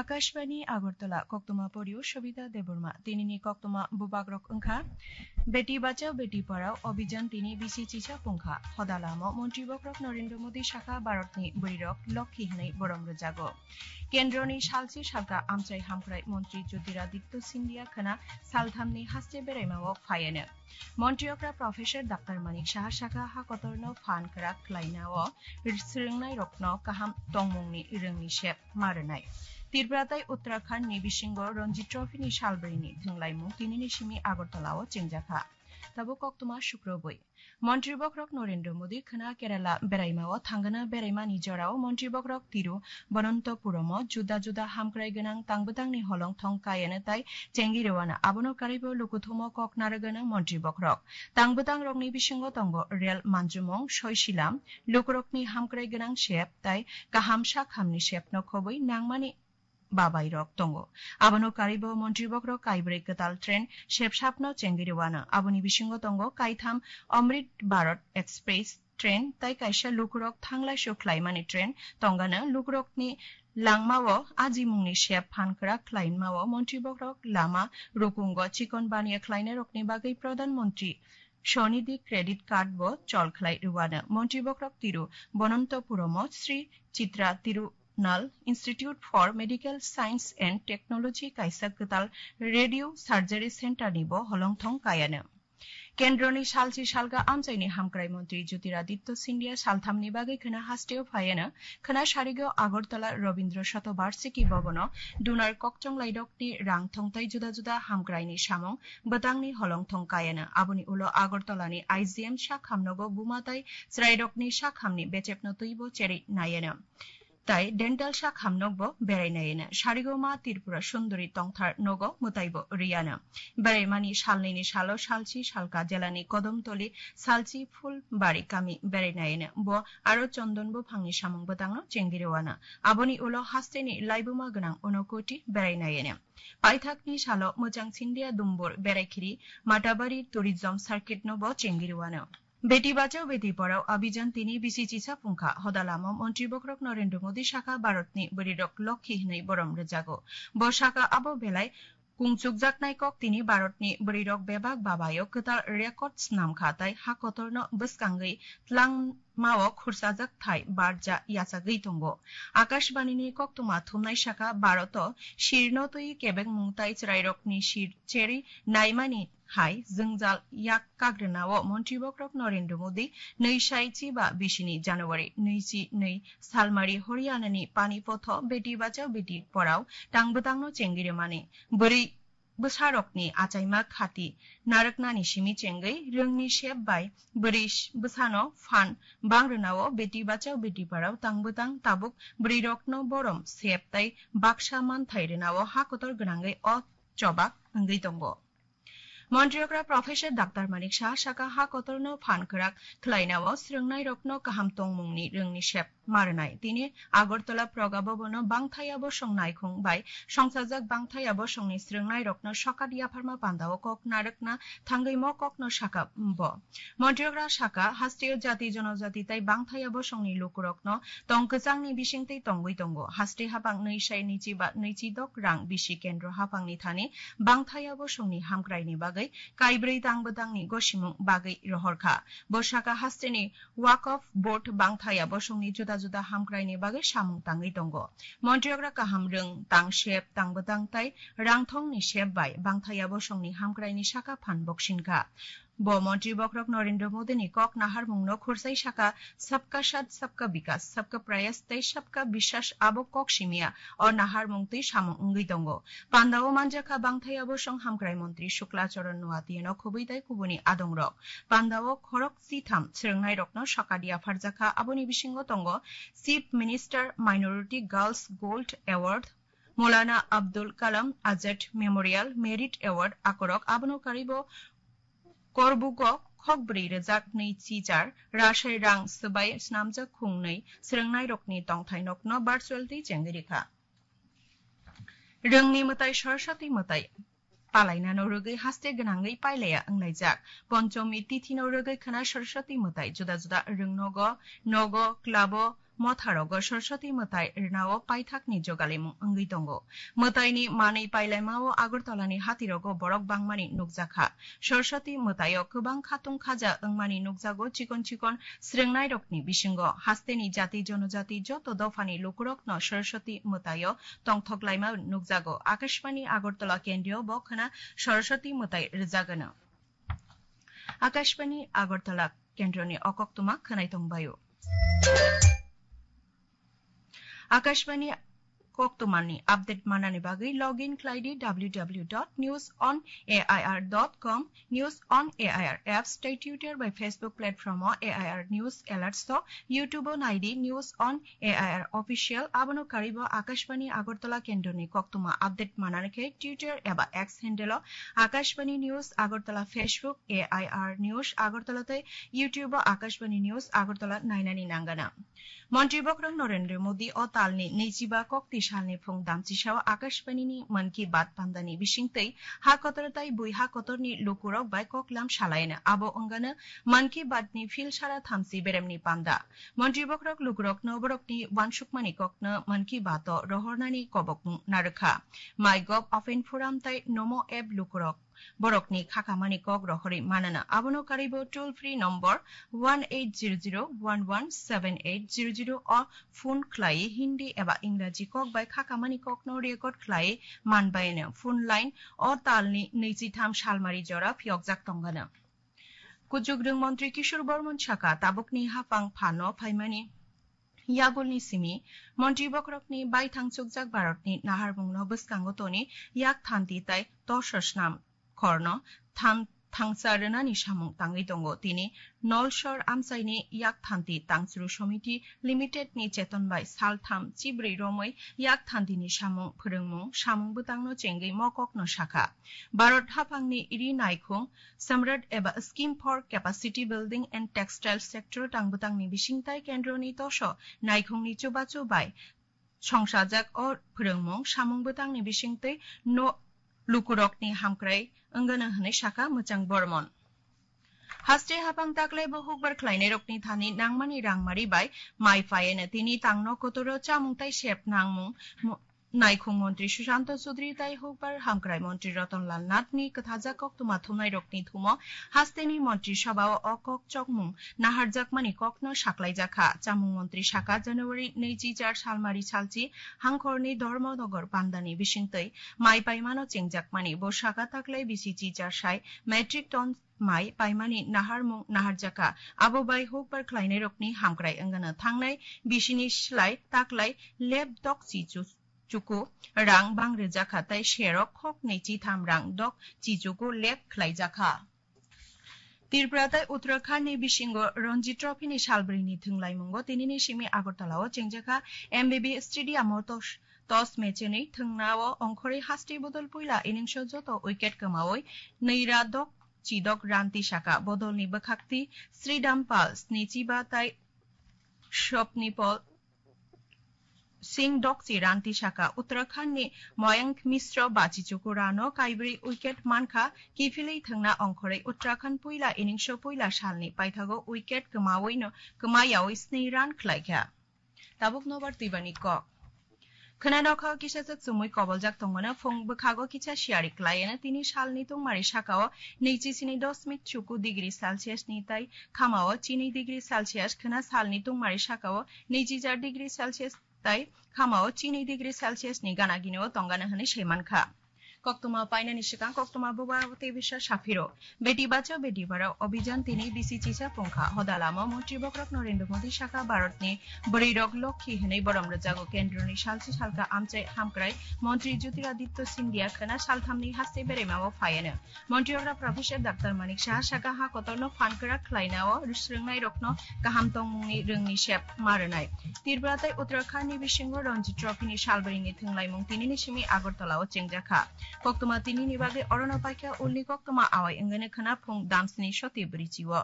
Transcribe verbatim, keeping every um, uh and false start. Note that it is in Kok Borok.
Akashbani Agartala, koktwma porio Sobita Debbarma. Tinini koktwma bubagrok wngkha: Beti Bachao Beti Padhao Abhijan tini bisi chisa pungkha. Hodalamo Montri Bokrok Narendra Modi sakha Bharatni bwrwirok lokhi hwnwi borom rwjago. Kendroni salsi salka amchai hamkrai Montri Jyotiraditya Scindia khwna salthamni haste beraimao phaiano. Montri okra Professor Doctor Manik Saha sakha ha kotorno phan kwrak khlainao swrwngnairokno kaham tongmungni rwngni sep ma rwnai. Tripura tai Uttarakhand ni bisingo Ranji Trophy ni salbrwini thwnglaimung tinini simi Agartala o chengjakha. Tabuk koktwma sukrobwi. Montri Bokrok Narendra Modi khwna Kerala beraimao thangana beraimani jorao Montri Bokrok Tiru Bonontopuromo juda juda hamkrai gwnang tangbwtangni holong thong kayana tai chengwi rwano. Abono karwibo lukuthumo kok narwgana Montri Bokrok. Tangbwtangrokni bisingo tongo rel manjumung, soisilam, lukurokni hamkrai gwnang sep tai kaham sak hamni sepno khobwi nangmani babairok tongo. Abono karwibo Montri Bokrok kaibrwi kwtal train sepsapno chengwi rwano. Aboni bisingo tongo kaitham Amrit Bharat Express train tai kaisa lukurok thanglaisu khlaimani train tongano. Lukurokni langmao ajimungni sep phan kwrak khlaimao Montri Bokrok lama rukungo chikon baniya khlainairokni bagwi Pradhan Montri Swanidhi Credit Card bo chol khlai rwano. Montri Bokrok Tiru Bonontopuromo Sri Chitra Tirunal Institute for Medical Science and Technology kaisa kwtal radio surgery center ni bo holongthong kayano. Kendroni salsi salga amchaini hamkrai Montri Jyotiraditya Scindia salthamni bagwi khwna hasteo phaiano. Khwna sarigo Agartala Rabindra Shatobarshiki Bhavano dunar kokchonglairokni rang thongtai juda juda hamkraini samung bwtangni holongthong kayano. Aboni ulo Agartalani I G M sakhamnogo buma tai chwrairokni sakhamni bechepno twibo cherwi nayano. Tai dental sakhamnokbo berai nayano. Sarigo ma Tripura Sundori tongthar nogo mwtaibo riyano. Beraimani salnini salo salsi salka jelani Kodomtoli salsi Phulbari kami berai nayano. Bo aro chondon buphangni samung bwtangno chengwi rwano. Aboni ulo hasteni laibuma gwnang Unokoti berai nayano. Paithakni salo Mwchang Sindia Dumbur Beraikhiri Matabari Tourism Circuit no bo chengwi rwano. Beti Bachao Beti Padhao Abhijan tini bisi chisa pungkha. Hodalamo Montri Bokrok Narendra Modi sakha Bharatni bwrwirok lokhi hwnwi borom rwjago. Bo sakha abo belai kungchukjaknai kok tini Bharatni bwrwirok bebak babayo kwtal record snamkha tai ha kotorno bwskangwi tlangmao khursajak thai barja yachagwi tongo. Akashbanini koktwma thumnai sakha Bharoto sirno twi kebengmung tai chwrairokni sir cherwi naimani hai jwngjal yak kagrwnao Montri Bokrok Narendra Modi nwi sai chiba bisini January nwi chi nwi salmari Haryanani Panipatho Beti Bachao Beti Padhao tangbwtangno chengwi rwmani. Bwrwi bwsarokni achaima khati narwknani simi chengwi rwngni sep bai bwrwi bwsano phan bangrwnao Beti Bachao Beti Padhao tangbwtang tabuk bwrwirokno borom sep tai baksa manthai rwnao ha kotor gwnangwi o chobak wngwi tongo. Montri okra Professor Doctor Manik Saha sakha ha kotorno phan kwrak khlainao swrwngnairokno kaham tongmungni rwngni sep ma rwnai. Tini Agartala Praga Bhavan-o bangthaya bosong naikhung bai songsajak bangthaya bosongni swrwngnairokno sokat yapharma pandao kok narwkna thangwi mo kokno sakha bo. Montri okra sakha, hasteo jati jonojati tai bangthaya bosongni lukurokno tong kwchangni bisingtwi tongwi tongo. Haste haphang nwi sai nwi chi ba nwi chi dok rang bisi kendro haphangni thani bangthaya bosongni hamkraini bagwi kaibrwi tangbwtangni gosimung bagwi rohorkha. Bo sakha, hasteni Waqf Board bangthaya bosongni juda juda hamkraini bagwi samung tangwi tongo. Montri okra kaham rwng, tang sep, tangbwtang tai rangthongni sep bai bangthaya bosongni hamkraini sakha phan boksinkha. Bo Montri Bokrok Narendra Modi ni kok naharmung no khursai sakha, "Sabka Saath, Sabka Vikas, Sabka Prayas tei Sabka Vishwas abo kok simiya o naharmung twi samung wngwi tongo." Pandao manjakha bangthaya bosong hamkrai montri Shukla Charan Noatia no khobwi tai kubuni adongrok. Pandao khorok chitham swrwngnairokno sokat yapharjakha, aboni bisingo tongo Chief Minister Minority Girls Gold Award, Maulana Abdul Kalam Azad Memorial Merit Award akorok, abono karibo Korbugo khokbrwi rwjak nwi chichar rashai rang swbai snamjak khungnwi swrwngnairokni tongthainokno virtual twi chengwi rikha. Rwngni mwtai Saraswati mwtai palainano rwgwi haste gwnangwi pailaya wnglaijak. Ponchomi tithino rwgwi khwna Saraswati mwtai juda juda rwngnogo, nogo, clubo, motharogo Saraswati mwtai rwnao paithakni jogalimung wngwi tongo. Mwtaini manwi pailaimao Agartalani hatirogo borok bangmani nukjakha. Saraswati mwtaio kwbang khatung khaja wngmani nukjago chikon chikon srwngnairokni bisingo. Hasteni jati jonojati joto dophani lukurokno Saraswati mwtaio tongthok laima nukjago. Akashbani Agartala kendrio bo khwna Saraswati mwtai rwjagano. Akashbani Agartala kendroni o koktwma khwnai tongbaio. Akashbani koktwmani update manani bagwi login khlaidi w w w dot news on a i r dot com, News on A I R apps tei Twitter bai Facebook platform o A I R News Alerts o, YouTube o naidi News on A I R Official, abono karibo Akashbani Agartala kendroni koktwma update manani khe Twitter eba X handle o Akashbani News Agartala, Facebook A I R News Agartala tei YouTube o Akashbani News Agartala nainani nangana. Montri bokhorok Narendra Modi o talni naichiba kokti salni phung damchisao Akashbanini Mann Ki Baat pandani bisingtwi ha kotor tai bui ha kotorni lukurok bai koklam salaina. Abo wngano Mann Ki Baat ni phil sara thamchi beremni panda. Montri bokhorok lukurokno borokni uansukmani kokno Mann Ki Baat o rohornani kobokmung narwkha. MyGov open forum tai Namo app lukurok borokni khakamani kok rohorwi manana. Abono karibo toll free number one eight zero zero one one seven eight zero zero o phone khlai Hindi eba Ingraji kok bai khakamani kokno record khlai manbaino. Phone line o talni naichitham salmari jora phiyokjak tongano. Kuchukrwng montri Kishore Bormon saka tabukni haphang phano phaimani yagulni simi montri bokhorokni baithang chukjak Bharatni naharmungno bwskango toni yak thanti tai torso snam khorno than-, thangsa rwnani samung tangwi tongo. Tini Nolsor amchaini yak thanti tangchru somiti limited ni cheton bai saltham chibrwi romwi yak thantini samung phwrwngmung samung bwtangno chengwi mokokno sakha. Bharat haphangni ri naikhung Samrat eba Scheme for Capacity Building and Textile Sector tang bwtangni bisingtai kendroni toso naikhungni chubachu bai songsajak o phwrwngmung samung bwtangni bisingtwi no lukurokni hamkrai wngano hwnwi sakha Mwchang Bormon. Haste haphang taklai bo hukbar khlainairokni thani nangmani rangmari bai mai phaiano tini tangno kotoro chamung tai sep nangmung mo-, Naikhung montri Sushanta Chaudhary tai hukbar hamkrai montri Ratan Lal Nath ni kwthajak koktwma thumnai rokni thumo hasteni montri sabha o o kok chokmung naharjakmani kokno saklaijakha. Chamung montri saka January naichi char salmari salchi hangkhorni Dharmanagar pandani bisingtwi mai paimano chengjakmani. Bo saka taklai bisi chi char sai metric ton mai paimani naharmung naharjakha. Abo bai hukbar khlainairokni hamkrai wngano thangnai bisini slai taklai lep dok chi chu chuku rang bang rwjakha tei serok khoknwi chitham rang dok chichuku lep khlaijakha. Tripura tei Uttarakhand ni bisingo Ranji Trophy ni salbrwi ni thwnglaimungo tinini simi Agartala o chengjakha M B B Stadium o tos, tos mecheni thwngnao ongkhorwi haste bodol puila innings o joto wicket kwmawi nwi ra dok chidok ranti saka bodolni bwkhakti Sridham Pal snichiba tei Swapnipal Singh dokchi ranti saka. Uttarakhand ni Mayank Mishra bachichuku rano kaibrwi wicket mankha, kiphilwi thwngna ongkhorwi Uttarakhand puila innings o puila salni paithago wicket kwmawi no, kwmayawi sni run khlaikha. Tabuk nobar twibani kok. Khwna nokha o kisa swk chumui koboljak tongmano, phung bwkhago kisa siyari khlaiano tini salni tungmari sakao naichi sini dosmik chuku degree Celsius ni tai khamao chini degree Celsius, khwna salni tungmari sakao naichi char degree Celsius tai khamao chini degree Celsius ni gana gineo tongana hwnwi saimankha. Koktwma painani swkang koktwma bubagra tei bisa saphiro. Beti Bachao Beti Padhao Abhijan tini bisi chisa pungkha. Hoda lama montri bokhorok Narendra Modi sakha Bharatni bwrwirok lokhi hwnwi borom rwjago. Kendroni salchi salka amchai hamkrai montri Jyotiraditya Scindia khwna salthamni haste beremao phaiano. Montri okra Professor Doctor Manik Saha sakha ha kotorno phan kwrak khlainao swrwngnairokno kaham tongmungni rwngni sep ma rwnai. Tripura tei Uttarakhand ni bisingo Ranji Trophy ni salbrwi ni thwnglaimung tinini simi Agartala o chengjakha. Koktwma tinini bagwi orono paikha ulni koktwma awai wngani khwna phung damsni soti bwrwi chio.